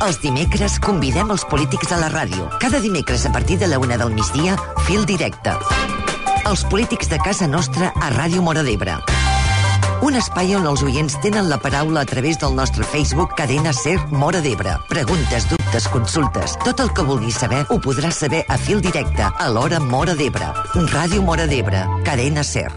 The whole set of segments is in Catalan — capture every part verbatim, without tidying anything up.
Els dimecres convidem els polítics a la ràdio. Cada dimecres a partir de la una del migdia, Fil Directe. Els polítics de casa nostra a Ràdio Móra d'Ebre. Un espai on els oients tenen la paraula a través del nostre Facebook Cadena Ser Móra d'Ebre. Preguntes, dubtes, consultes, tot el que vulguis saber ho podràs saber a Fil Directe, a l'hora Móra d'Ebre. Ràdio Móra d'Ebre, Cadena Ser.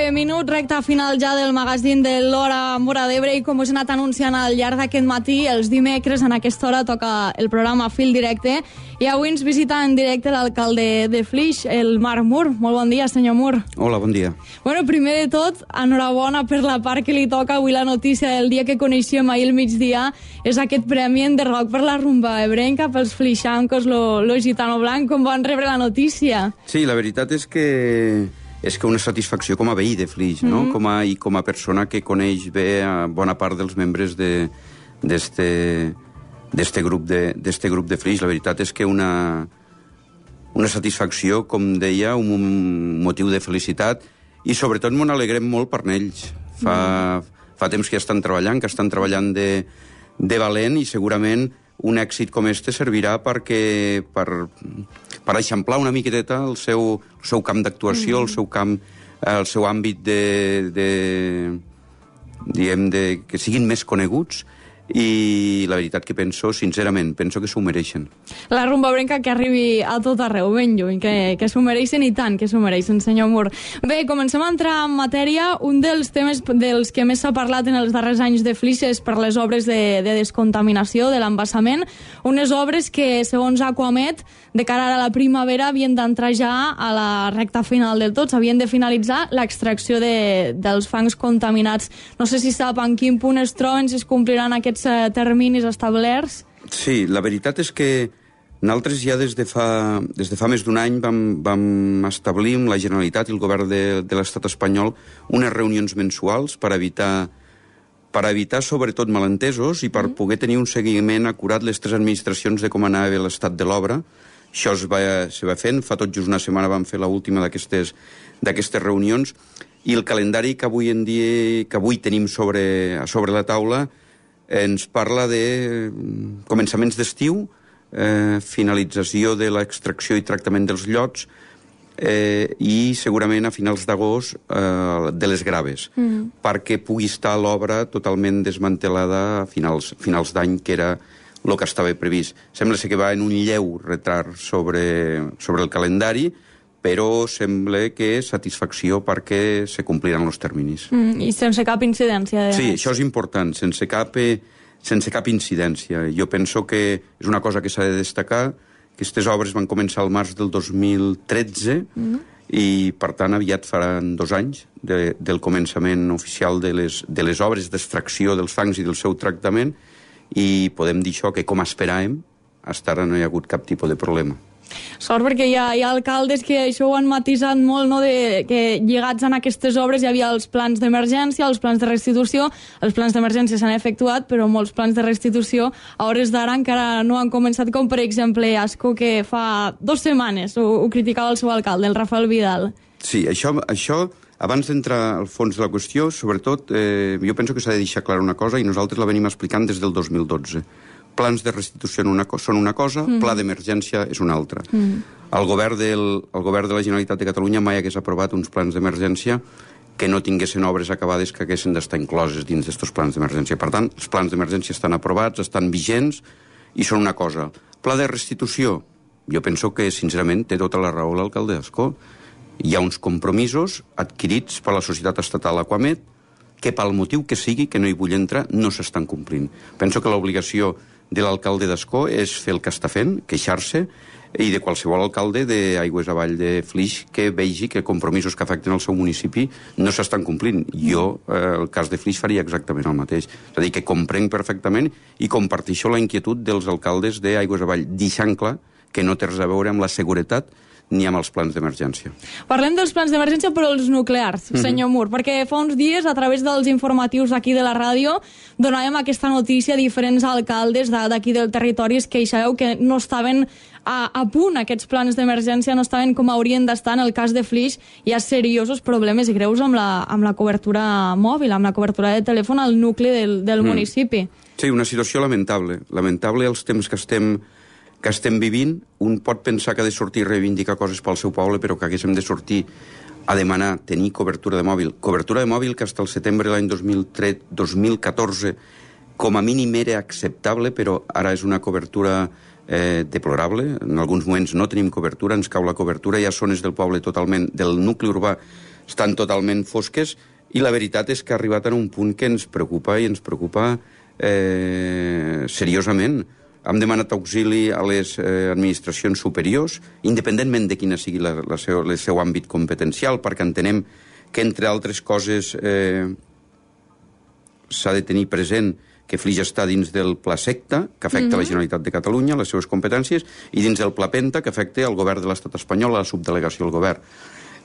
Minuts, recta final ja del magazín de l'Hora Móra d'Ebre, i com us he anat anunciant al llarg d'aquest matí, els dimecres en aquesta hora toca el programa Fil Directe, i avui ens visita en directe l'alcalde de Flix, el Marc Mur. Molt bon dia, senyor Mur. Hola, bon dia. Bueno, primer de tot, enhorabona per la part que li toca avui. La notícia del dia que coneixíem ahir al migdia és aquest premi en Enderroc per la rumba ebrenca, pels flixancos, lo, lo gitano blanc. Com van rebre la notícia? Sí, la veritat és que és que una satisfacció com a veí de Flix, no? Mm-hmm. com a, i com a persona que coneix bé a bona part dels membres d'este grup de, d'este grup de Flix. La veritat és que una, una satisfacció, com deia, un motiu de felicitat, i sobretot m'ho alegrem molt per ells. Fa, mm. fa temps que estan treballant, que estan treballant de, de valent, i segurament un èxit com este servirà perquè, per, per eixamplar una miqueteta el seu, el seu camp d'actuació, mm. el seu camp, el seu àmbit de, de, diguem, de, que siguin més coneguts, i la veritat que penso, sincerament, penso que s'ho mereixen. La rumba ebrenca que arribi a tot arreu, ben lluny, que, que s'ho mereixen, i tant que s'ho mereixen, senyor Mur. Bé, comencem a entrar en matèria. Un dels temes dels que més s'ha parlat en els darrers anys de Flix és per les obres de, de descontaminació de l'embassament, unes obres que, segons Aquamet, de cara a la primavera havien d'entrar ja a la recta final del tot, havien de finalitzar l'extracció de, dels fangs contaminats. No sé si sap en quin punt es troben, si es compliran aquests terminis establerts. Sí, la veritat és que nosaltres ja des de fa, des de fa més d'un any vam, vam establir amb la Generalitat i el govern de, de l'estat espanyol unes reunions mensuals per evitar, per evitar sobretot malentesos i per mm. poder tenir un seguiment acurat les tres administracions de com anava l'estat de l'obra. Això es va, se va fent, fa tot just una setmana vam fer l'última d'aquestes d'aquestes reunions, i el calendari que avui en dia que avui tenim sobre, a sobre la taula ens parla de començaments d'estiu, eh, finalització de l'extracció i tractament dels llots, eh, i segurament a finals d'agost eh, de les graves, mm. perquè pugui estar l'obra totalment desmantelada a finals, finals d'any, que era el que estava previst. Sembla que va en un lleu retard sobre, sobre el calendari, però sembla que és satisfacció perquè se compliran els terminis. Mm, I sense cap incidència. De... Sí, això és important, sense cap, sense cap incidència. Jo penso que és una cosa que s'ha de destacar. Aquestes obres van començar al març del dos mil tretze, mm. i, per tant, aviat faran dos anys de, del començament oficial de les, de les obres d'extracció dels fangs i del seu tractament, i podem dir això, que com esperàvem, fins ara no hi ha hagut cap tipus de problema. Sort, perquè hi ha, hi ha alcaldes que això ho han matisat molt, no? De, que lligats en aquestes obres hi havia els plans d'emergència, els plans de restitució. Els plans d'emergència s'han efectuat, però molts plans de restitució a hores d'ara encara no han començat, com per exemple Ascó, que fa dues setmanes ho, ho criticava el seu alcalde, el Rafael Vidal. Sí, això, això abans d'entrar al fons de la qüestió, sobretot, eh, jo penso que s'ha de deixar clara una cosa, i nosaltres la venim explicant des del dos mil dotze. Plans de restitució una són una cosa, mm. pla d'emergència és una altra. Mm. El, govern del, el govern de la Generalitat de Catalunya mai hagués aprovat uns plans d'emergència que no tinguessin obres acabades que haguessin d'estar incloses dins d'aquests plans d'emergència. Per tant, els plans d'emergència estan aprovats, estan vigents, i són una cosa. Pla de restitució, jo penso que, sincerament, té tota la raó l'alcalde d'Ascó. Hi ha uns compromisos adquirits per la societat estatal Aquamet que, pel motiu que sigui, que no hi vull entrar, no s'estan complint. Penso que l'obligació de l'alcalde d'Ascó és fer el que està fent, queixar-se, i de qualsevol alcalde d'Aigües Avall de Flix que vegi que compromisos que afecten el seu municipi no s'estan complint. Jo, eh, el cas de Flix, faria exactament el mateix. És a dir, que comprenc perfectament i comparteixo la inquietud dels alcaldes d'Aigües Avall, deixant clar que no té res a veure amb la seguretat ni amb els plans d'emergència. Parlem dels plans d'emergència, però els nuclears, mm-hmm. senyor Mur, perquè fa uns dies, a través dels informatius aquí de la ràdio, donàvem aquesta notícia a diferents alcaldes d'aquí del territori que sabeu que no estaven a, a punt, aquests plans d'emergència no estaven com haurien d'estar. En el cas de Flix hi ha seriosos problemes i greus amb la, amb la cobertura mòbil, amb la cobertura de telèfon al nucli del, del mm. municipi. Sí, una situació lamentable. Lamentable els temps que estem que estem vivint. Un pot pensar que ha de sortir a reivindicar coses pel seu poble, però que haguéssim de sortir a demanar tenir cobertura de mòbil. Cobertura de mòbil que fins al setembre de l'any dos mil catorze com a mínim era acceptable, però ara és una cobertura eh, deplorable. En alguns moments no tenim cobertura, ens cau la cobertura, hi ha zones del poble totalment, del nucli urbà, estan totalment fosques, i la veritat és que ha arribat a un punt que ens preocupa, i ens preocupa eh, seriosament. Hem demanat auxili a les eh, administracions superiors, independentment de quina sigui la, la seu, el seu àmbit competencial, perquè entenem que, entre altres coses, eh, s'ha de tenir present que Flix està dins del Pla Secta, que afecta mm-hmm. la Generalitat de Catalunya, les seves competències, i dins del Pla Penta, que afecta el govern de l'estat espanyol, a la subdelegació del govern.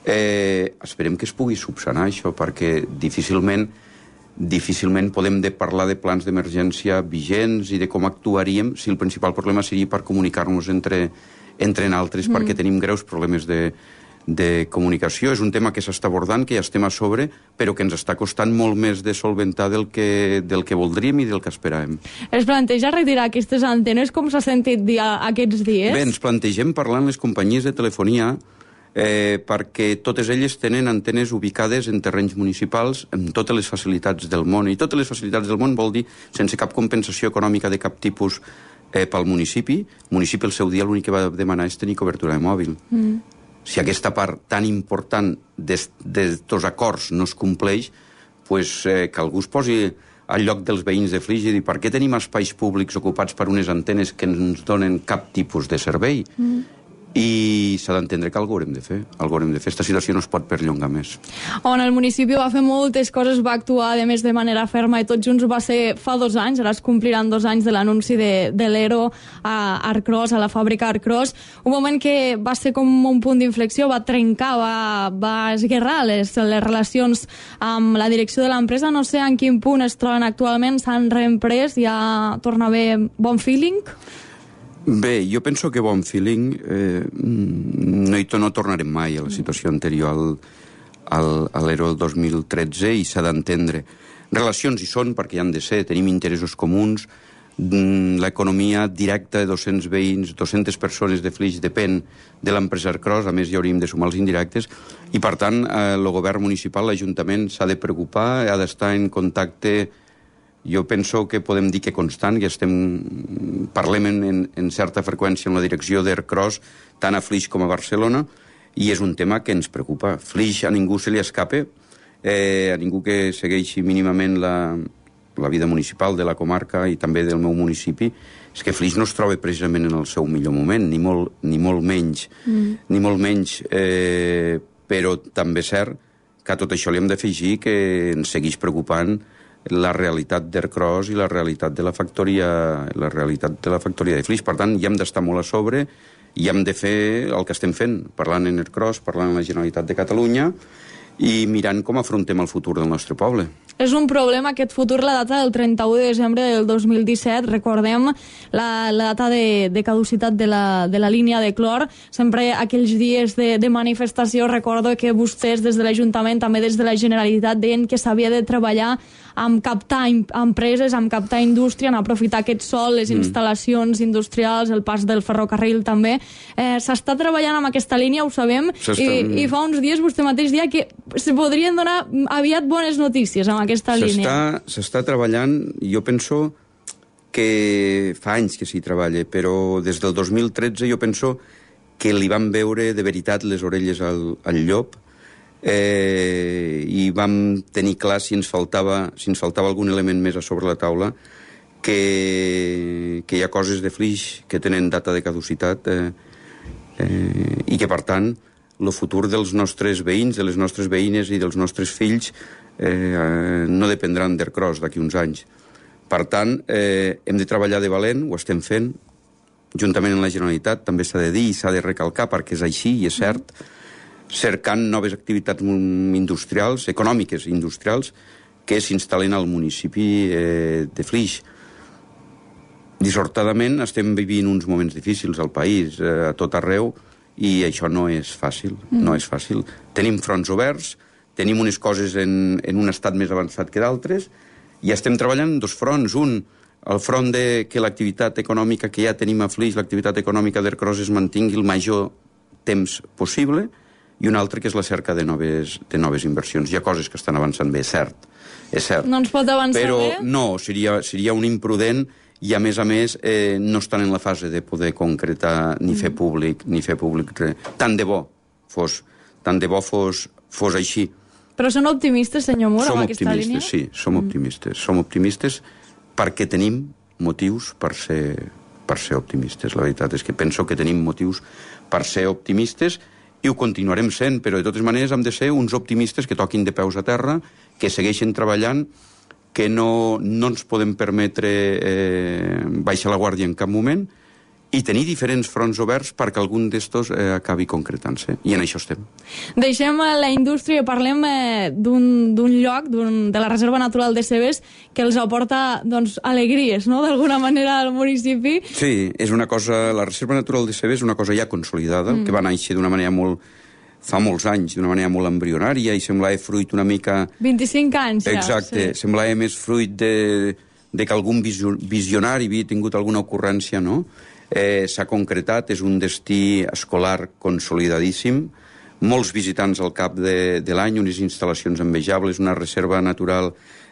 Eh, esperem que es pugui subsanar això, perquè difícilment difícilment podem de parlar de plans d'emergència vigents i de com actuaríem si el principal problema seria per comunicar-nos entre, entre nosaltres, mm. perquè tenim greus problemes de, de comunicació. És un tema que s'està abordant, que ja estem a sobre, però que ens està costant molt més de solventar del que, del que voldríem i del que esperàvem. Es planteja retirar aquestes antenes, com s'ha sentit dir aquests dies? Bé, ens plantegem parlar amb les companyies de telefonia Eh, perquè totes elles tenen antenes ubicades en terrenys municipals amb totes les facilitats del món. I totes les facilitats del món vol dir sense cap compensació econòmica de cap tipus eh, pel municipi. El municipi el seu dia l'únic que va demanar és tenir cobertura de mòbil. Mm. Si aquesta part tan important d'estos acords no es compleix, pues, eh, que algú es posi al lloc dels veïns de Flix i dir per què tenim espais públics ocupats per unes antenes que ens donen cap tipus de servei? Mm. I s'ha d'entendre que algú haurem de fer. Algú haurem de fer. Esta situació no es pot perllongar més. On el municipi va fer moltes coses, va actuar, a més, de manera ferma, i tot junts va ser fa dos anys, ara es compliran dos anys de l'anunci de, de l'ERO a Arcros, a la fàbrica Arcros. Un moment que va ser com un punt d'inflexió, va trencar, va, va esguerrar les, les relacions amb la direcció de l'empresa. No sé en quin punt es troben actualment, s'han reemprès, ja torna a haver bon feeling? Bé, jo penso que bon feeling eh, no, hi, no tornarem mai a la situació anterior al, al, a l'Ero del dos mil tretze, i s'ha d'entendre. Relacions hi són perquè hi han de ser, tenim interessos comuns, l'economia directa de dos-cents veïns, dues-centes persones de Flix depèn de l'empresa Arcros, a més hi hauríem de sumar els indirectes, i per tant eh, el govern municipal, l'Ajuntament, s'ha de preocupar, ha d'estar en contacte. Jo penso que podem dir que constant, que estem, parlem en, en certa freqüència en la direcció d'Arcros, tant a Flix com a Barcelona, i és un tema que ens preocupa. Flix a ningú se li escape, eh, a ningú que segueixi mínimament la, la vida municipal de la comarca i també del meu municipi, és que Flix no es troba precisament en el seu millor moment, ni molt, ni molt menys, mm. ni molt menys, eh, però també és cert que a tot això li hem d'afegir que ens segueix preocupant la realitat d'Arcros i la realitat de la factoria, la realitat de la factoria de Flix. Per tant, hi hem d'estar molt a sobre i hem de fer el que estem fent, parlant en Arcros, parlant amb la Generalitat de Catalunya i mirant com afrontem el futur del nostre poble. És un problema aquest futur, la data del trenta-u de desembre del dos mil disset, recordem la, la data de, de caducitat de la, de la línia de clor. Sempre aquells dies de, de manifestació recordo que vostès des de l'Ajuntament, també des de la Generalitat, deien que s'havia de treballar amb captar empreses, amb captar indústria, en aprofitar aquest sol, les instal·lacions mm. industrials, el pas del ferrocarril també. Eh, S'està treballant amb aquesta línia, ho sabem, i, i fa uns dies vostè mateix dia que se podrien donar aviat bones notícies amb aquesta línia. S'està treballant, jo penso que fa anys que s'hi treballa, però des del dos mil tretze jo penso que li van veure de veritat les orelles al, al llop, eh, i vam tenir clar si ens faltava, si ens faltava algun element més a sobre la taula, que, que hi ha coses de Flix que tenen data de caducitat eh, eh, i que, per tant, el futur dels nostres veïns, de les nostres veïnes i dels nostres fills eh, no dependran d'Arcros d'aquí uns anys. Per tant, eh, hem de treballar de valent, ho estem fent, juntament amb la Generalitat, també s'ha de dir i s'ha de recalcar perquè és així i és cert, cercant noves activitats industrials, econòmiques i industrials, que s'instal·len al municipi eh, de Flix. Dissortadament estem vivint uns moments difícils al país, eh, a tot arreu, i això no és fàcil, mm. no és fàcil. Tenim fronts oberts, tenim unes coses en, en un estat més avançat que d'altres, i estem treballant en dos fronts. Un, el front de que l'activitat econòmica que ja tenim a Flix, l'activitat econòmica d'Ercros es mantingui el major temps possible, i un altre que és la cerca de noves, de noves inversions. Hi ha coses que estan avançant bé, és cert, és cert. No ens pot avançar però bé? Però no, seria, seria un imprudent i, a més a més, eh, no estan en la fase de poder concretar ni fer públic, ni fer públic res. Tant de bo fos, tant de bo fos, fos així. Però són optimistes, senyor Mur, amb aquesta línia? Som optimistes, sí, som optimistes. Som optimistes perquè tenim motius per ser, per ser optimistes. La veritat és que penso que tenim motius per ser optimistes i ho continuarem sent, però de totes maneres hem de ser uns optimistes que toquin de peus a terra, que segueixin treballant, que no, no ens podem permetre eh, baixar la guàrdia en cap moment, i tenir diferents fronts oberts perquè algun d'estos eh, acabi concretant-se. I en això estem. Deixem la indústria i parlem eh, d'un lloc, de la Reserva Natural de Cebes, que els aporta doncs, alegries, no?, d'alguna manera al municipi. Sí, és una cosa... La Reserva Natural de Cebes és una cosa ja consolidada, mm. que va néixer d'una manera molt... fa molts anys, d'una manera molt embrionària, i semblava fruit una mica... vint-i-cinc anys ja. Exacte, sí. Semblava més fruit de, de que algun visionari havia tingut alguna ocurrència, no?, Eh, s'ha concretat, és un destí escolar consolidadíssim, molts visitants al cap de, de l'any, unes instal·lacions envejables, una reserva natural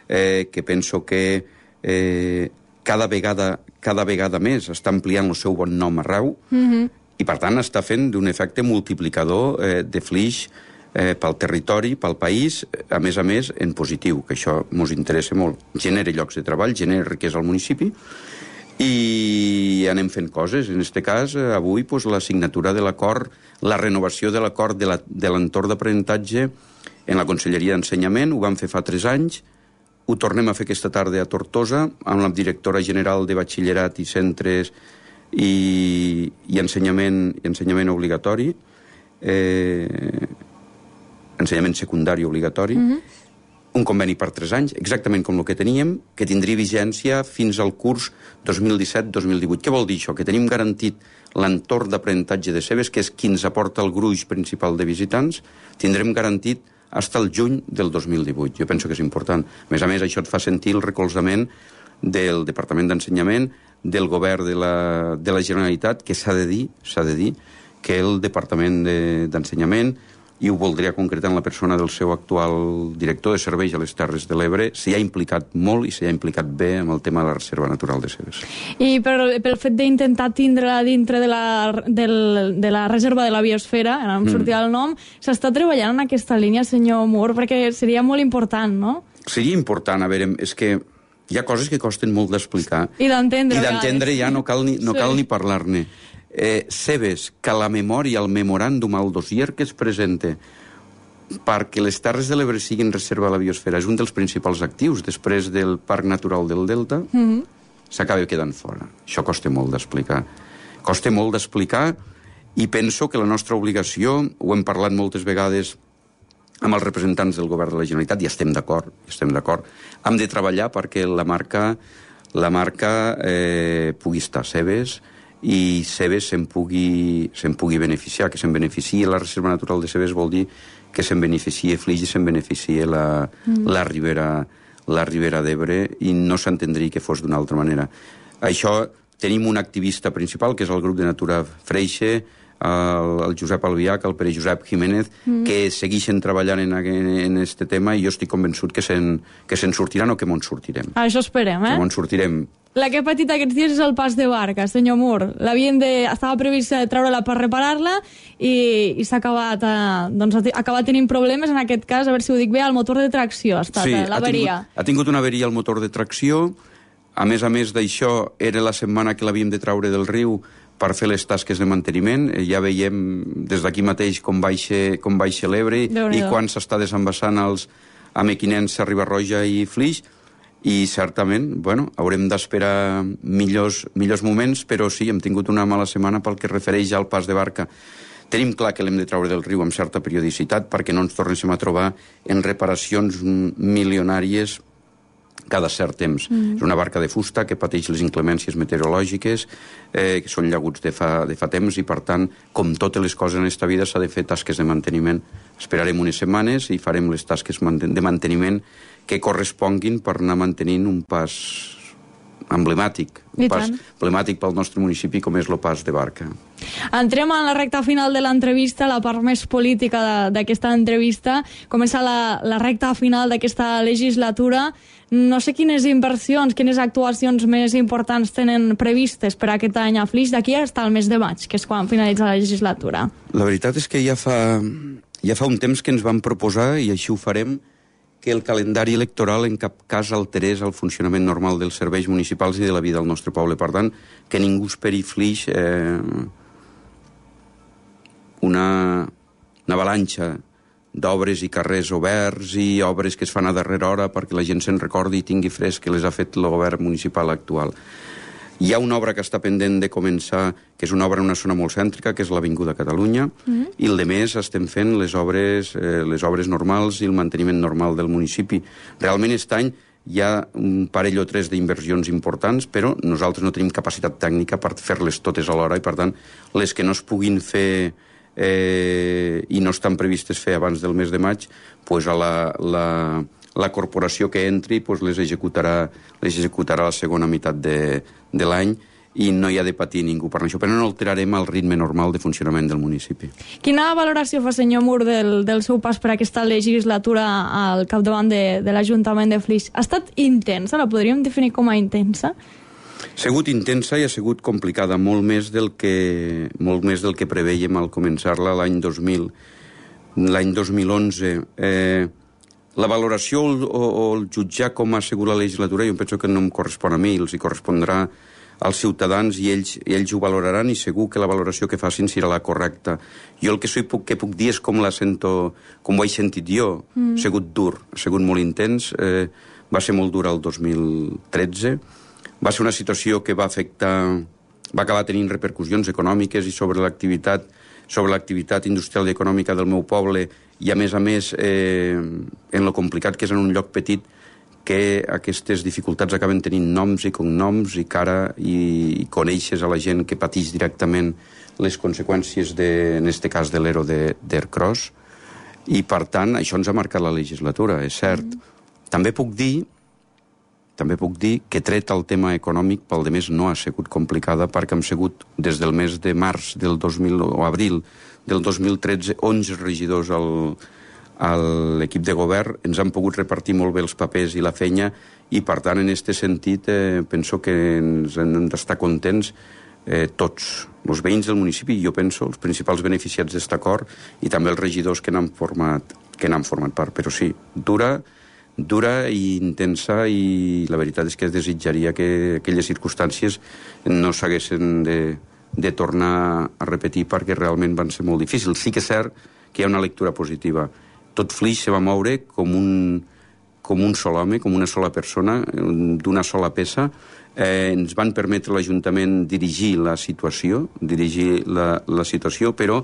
eh, que penso que eh, cada, vegada, cada vegada més està ampliant el seu bon nom arreu, mm-hmm. i per tant està fent d'un efecte multiplicador eh, de Flix eh, pel territori, pel país, a més a més en positiu, que això ens interessa molt. Genera llocs de treball, genera riquesa al municipi, i anem fent coses. En aquest cas, avui, pues, la signatura de l'acord, la renovació de l'acord de l'entorn d'aprenentatge en la Conselleria d'Ensenyament, ho vam fer fa tres anys, ho tornem a fer aquesta tarda a Tortosa, amb la directora general de Batxillerat i Centres i, i ensenyament, ensenyament obligatori, eh, ensenyament secundari obligatori, mm-hmm. un conveni per tres anys, exactament com el que teníem, que tindria vigència fins al curs dos mil disset dos mil divuit. Què vol dir això? Que tenim garantit l'entorn d'aprenentatge de Cebes, que és qui ens aporta el gruix principal de visitants, tindrem garantit fins al juny del dos mil divuit. Jo penso que és important. A més a més, això et fa sentir el recolzament del Departament d'Ensenyament, del govern de la, de la Generalitat, que s'ha de dir, s'ha de dir, que el Departament d'Ensenyament, i ho voldria concretar en la persona del seu actual director de serveis a les Terres de l'Ebre, s'hi ha implicat molt i s'hi ha implicat bé amb el tema de la Reserva Natural de Cebes. I per, pel fet d'intentar tindre-la dintre de la, del, de la Reserva de la Biosfera, ara em sortia mm. el nom, s'està treballant en aquesta línia, senyor Mur, perquè seria molt important, no? Seria important, a veure, és que hi ha coses que costen molt d'explicar. I d'entendre. I d'entendre ja no cal ni, no sí. cal ni parlar-ne. Eh, Cebes, que la memòria, el memoràndum, el dossier que es presenta perquè les Terres de l'Ebre siguin reserva a la biosfera és un dels principals actius després del Parc Natural del Delta, mm-hmm. s'acaba quedant fora. Això costa molt d'explicar. Costa molt d'explicar i penso que la nostra obligació, ho hem parlat moltes vegades amb els representants del govern de la Generalitat, i estem d'acord, estem d'acord, hem de treballar perquè la marca, la marca eh, pugui estar a Cebes, i Cebes se'n pugui, se'n pugui beneficiar, que se'n beneficiï la Reserva Natural de Cebes vol dir que se'n beneficiï Flix i se'n beneficiï la, mm. la Ribera, la Ribera d'Ebre, i no s'entendria que fos d'una altra manera. Això, tenim un activista principal, que és el grup de Natura Freixe, el, el Josep Albiach, el Pere Josep Jiménez, mm. que segueixen treballant en, en este tema, i jo estic convençut que se'n que se'n sortiran o que mos sortirem. Això esperem, eh? Que mos sortirem. La que ha patit aquests dies és el pas de barca, senyor Mur. L'havien de... Estava previst treure-la per reparar-la i, i s'ha acabat, eh, doncs, ha acabat tenint problemes, en aquest cas, a veure si ho dic bé, el motor de tracció ha estat, sí, eh, l'averia. Ha, ha tingut una averia al motor de tracció. A més a més d'això, era la setmana que l'havíem de traure del riu per fer les tasques de manteniment. Ja veiem des d'aquí mateix com baixa, com baixa l'Ebre i quan s'està desembassant els a Mequinensa, Riba-roja i Flix. i certament, bueno, haurem d'esperar millors, millors moments, però sí, hem tingut una mala setmana pel que refereix al pas de barca. Tenim clar que l'hem de treure del riu amb certa periodicitat perquè no ens tornéssim a trobar en reparacions milionàries cada cert temps. Mm. És una barca de fusta que pateix les inclemències meteorològiques, eh, que són llaguts de fa, de fa temps, i per tant, com totes les coses en aquesta vida, s'ha de fer tasques de manteniment. Esperarem unes setmanes i farem les tasques de manteniment que corresponguin per anar mantenint un pas emblemàtic, un pas emblemàtic pel nostre municipi com és el pas de barca. Entrem en la recta final de l'entrevista, la part més política d'aquesta entrevista. Comença la, la recta final d'aquesta legislatura. No sé quines inversions, quines actuacions més importants tenen previstes per aquest any a Flix d'aquí fins al mes de maig, que és quan finalitza la legislatura. La veritat és que ja fa, ja fa un temps que ens vam proposar, i així ho farem, que el calendari electoral en cap cas alterés el funcionament normal dels serveis municipals i de la vida del nostre poble. Per tant, que ningú esperi Flix eh, una, una avalanxa d'obres i carrers oberts i obres que es fan a darrera hora perquè la gent se'n recordi i tingui fresc que les ha fet el govern municipal actual. Hi ha una obra que està pendent de començar, que és una obra en una zona molt cèntrica, que és l'Avinguda Catalunya, mm. i el de més estem fent les obres, eh, les obres normals i el manteniment normal del municipi. Realment aquest any hi ha un parell o tres d'inversions importants, però nosaltres no tenim capacitat tècnica per fer-les totes alhora, i per tant, les que no es puguin fer eh, i no estan previstes fer abans del mes de maig, pues a la... la la corporació que entri pues, les executarà les executarà la segona meitat de, de l'any, i no hi ha de patir ningú per això, però no alterarem el ritme normal de funcionament del municipi. Quina valoració fa, senyor Mur, del, del seu pas per aquesta legislatura al capdavant de, de l'Ajuntament de Flix? Ha estat intensa? La podríem definir com a intensa? Ha sigut intensa i ha sigut complicada, molt més del que, molt més del que preveiem al començar-la l'any dos mil. L'any dos mil onze... Eh, La valoració o, o el jutjar com ha sigut la legislatura jo penso que no em correspon a mi, els hi correspondrà als ciutadans i ells, i ells ho valoraran, i segur que la valoració que facin serà la correcta. Jo el que, soy, que puc dir és com la sento, com ho he sentit jo. Mm. Ha sigut dur, ha sigut molt intens, eh, va ser molt dur el dos mil tretze, va ser una situació que va afectar, va acabar tenint repercussions econòmiques i sobre l'activitat sobre l'activitat industrial i econòmica del meu poble, i a més a més eh, en lo complicat que és en un lloc petit, que aquestes dificultats acaben tenint noms i cognoms i cara, i, i coneixes a la gent que pateix directament les conseqüències de, en este cas de l'Ero d'Ercros, i per tant això ens ha marcat la legislatura, és cert. Mm. També puc dir També puc dir que tret el tema econòmic, pel de més no ha sigut complicada, perquè hem sigut des del mes de març del dos mil o abril del dos mil tretze onze regidors al, a l'equip de govern, ens han pogut repartir molt bé els papers i la feina, i per tant en aquest sentit eh, penso que ens hem d'estar contents eh, tots, els veïns del municipi, i jo penso els principals beneficiats d'aquest acord, i també els regidors que n'han format, que n'han format part, però sí, dura dura i intensa, i la veritat és que desitjaria que aquelles circumstàncies no s'haguessin de, de tornar a repetir, perquè realment van ser molt difícils. Sí que és cert que hi ha una lectura positiva. Tot Flix se va moure com un, com un sol home, com una sola persona, d'una sola peça. Eh, ens van permetre l'Ajuntament dirigir la situació, dirigir la, la situació, però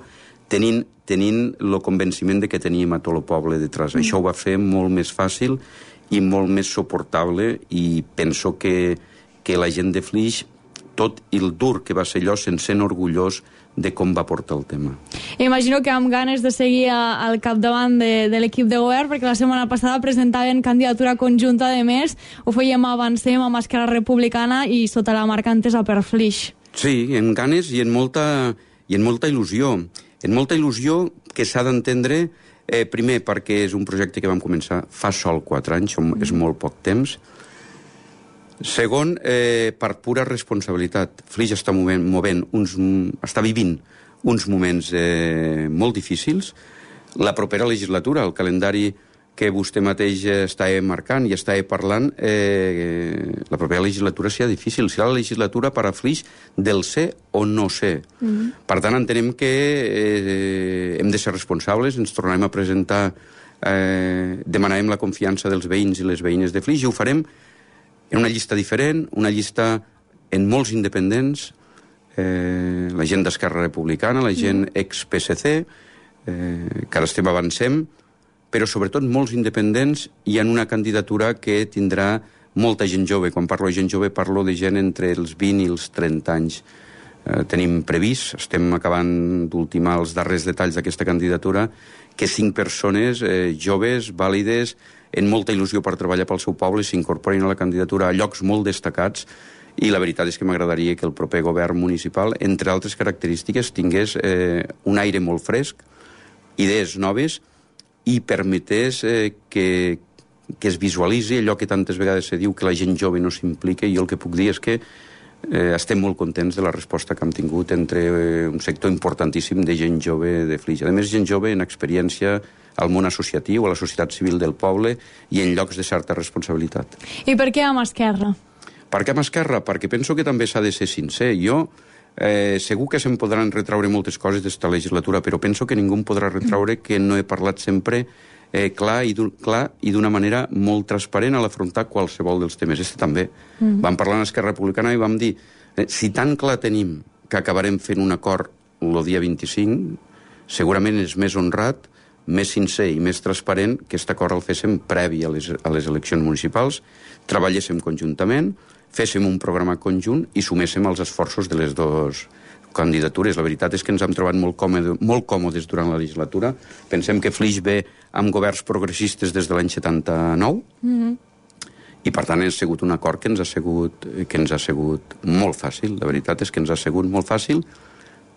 tenint, tenint el convenciment de que teníem a tot el poble detrás. Mm. Això ho va fer molt més fàcil i molt més suportable, i penso que, que la gent de Flix, tot el dur que va ser allò, se'n sent orgullós de com va portar el tema. Imagino que amb ganes de seguir a, al capdavant de, de l'equip de govern, perquè la setmana passada presentaven candidatura conjunta de més, ho fèiem Avancem amb Esquerra Republicana i sota la marca Entesa per Flix. Sí, en ganes i en molta, i en molta il·lusió. En molta il·lusió que s'ha d'entendre, eh, primer perquè és un projecte que vam començar fa sol quatre anys, mm. és molt poc temps. Segon, eh, per pura responsabilitat. Flix està movent, movent uns, està vivint uns moments eh, molt difícils. La propera legislatura, el calendari que vostè mateix està marcant i està parlant, eh, la propera legislatura serà difícil. Serà la legislatura per a Flix del ser o no ser. Mm-hmm. Per tant, entenem que eh, hem de ser responsables, ens tornarem a presentar, eh, demanarem la confiança dels veïns i les veïnes de Flix, i ho farem en una llista diferent, una llista en molts independents, eh, la gent d'Esquerra Republicana, la gent ex-P S C, eh, que ara estem avancem, però sobretot molts independents i en una candidatura que tindrà molta gent jove. Quan parlo de gent jove parlo de gent entre els vint i els trenta anys. Eh, tenim previst, estem acabant d'ultimar els darrers detalls d'aquesta candidatura, que cinc persones eh, joves, vàlides, en molta il·lusió per treballar pel seu poble, s'incorporin a la candidatura a llocs molt destacats, i la veritat és que m'agradaria que el proper govern municipal, entre altres característiques, tingués eh, un aire molt fresc, idees noves, i permetés eh, que, que es visualitzi allò que tantes vegades se diu, que la gent jove no s'implica, i jo el que puc dir és que eh, estem molt contents de la resposta que hem tingut entre eh, un sector importantíssim de gent jove de Flix. A més, gent jove en experiència al món associatiu, a la societat civil del poble i en llocs de certa responsabilitat. I per què amb Esquerra? Per què amb Esquerra? Perquè penso que també s'ha de ser sincer. Jo Eh, segur que se'm podran retraure moltes coses d'esta legislatura, però penso que ningú em podrà retraure que no he parlat sempre eh, clar i clar i d'una manera molt transparent a l'afrontar qualsevol dels temes. Este també. Mm. Vam parlar en Esquerra Republicana i vam dir eh, si tan clar tenim que acabarem fent un acord el dia vint-i-cinc, segurament és més honrat, més sincer i més transparent que aquest acord el féssim previ a les, a les eleccions municipals, treballéssim conjuntament, féssim un programa conjunt i suméssim els esforços de les dues candidatures. La veritat és que ens hem trobat molt, còmode, molt còmodes durant la legislatura. Pensem que Flix ve amb governs progressistes des de l'any setanta-nou, mm-hmm. i per tant ha sigut un acord que ens ha sigut, que ens ha sigut molt fàcil. La veritat és que ens ha sigut molt fàcil.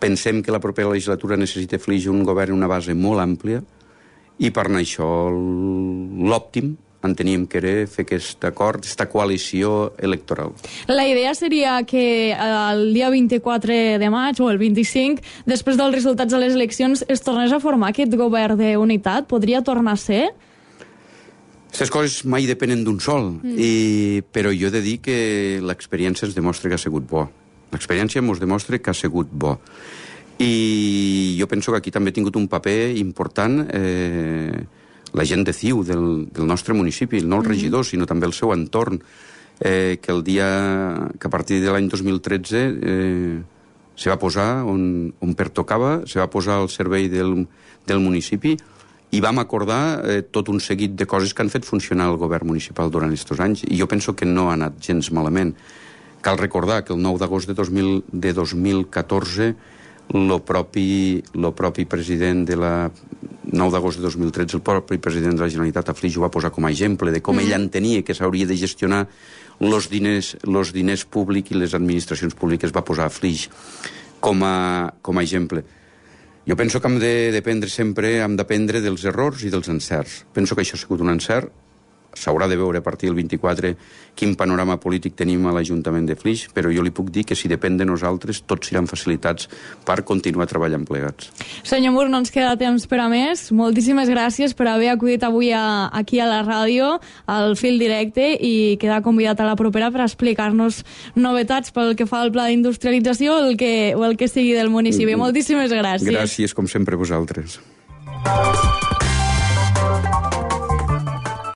Pensem que la propera legislatura necessita Flix un govern, una base molt àmplia, i per anar això l'òptim enteníem que era fer aquest acord, aquesta coalició electoral. La idea seria que el dia vint-i-quatre de maig o el vint-i-cinc, després dels resultats de les eleccions, es tornés a formar aquest govern d'unitat? Podria tornar a ser? Aquestes coses mai depenen d'un sol, mm. i, però jo he de dir que l'experiència ens demostra que ha sigut bo. L'experiència ens demostra que ha sigut bo. I jo penso que aquí també ha tingut un paper important eh, la gent de C I U del, del nostre municipi, no el regidor, sinó també el seu entorn, eh, que el dia que a partir de l'any dos mil tretze eh, se va posar on, on pertocava, se va posar al servei del, del municipi, i vam acordar eh, tot un seguit de coses que han fet funcionar el govern municipal durant aquests anys, i jo penso que no ha anat gens malament. Cal recordar que el nou d'agost de, de dos mil catorze lo propi, lo propi president de la nou d'agost de dos mil tretze, el propi president de la Generalitat a Flix ho va posar com a exemple de com mm. ell entenia que s'hauria de gestionar els diners, los diners públics i les administracions públiques, va posar a Flix com a, com a exemple. Jo penso que hem de dependre sempre, hem d'aprendre dels errors i dels encerts. Penso que això ha sigut un encert. S'haurà de veure a partir del vint-i-quatre quin panorama polític tenim a l'Ajuntament de Flix, però jo li puc dir que si depèn de nosaltres tots seran facilitats per continuar treballant plegats. Senyor Mur, no ens queda temps per a més. Moltíssimes gràcies per haver acudit avui a, aquí a la ràdio, al Fil Directe, i quedar convidat a la propera per explicar-nos novetats pel que fa al pla d'industrialització o el que, o el que sigui del municipi. Mm. Moltíssimes gràcies. Gràcies, com sempre, a vosaltres.